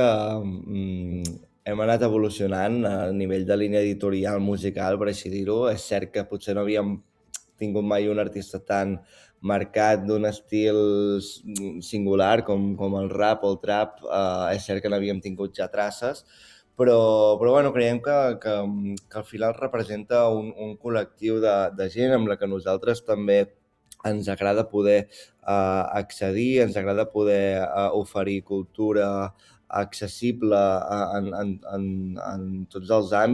Hem anat evolucionant a nivell de línia editorial musical, per així dir-ho. És cert que potser no havíem tingut mai un artista tan marcat d'un estil singular com el rap o el trap. És cert que n'havíem tingut ja traces, però bueno, creiem que al final representa un col·lectiu de gent amb la que nosaltres també ens agrada poder accedir, ens agrada poder oferir cultura accessible en tots els àmbits.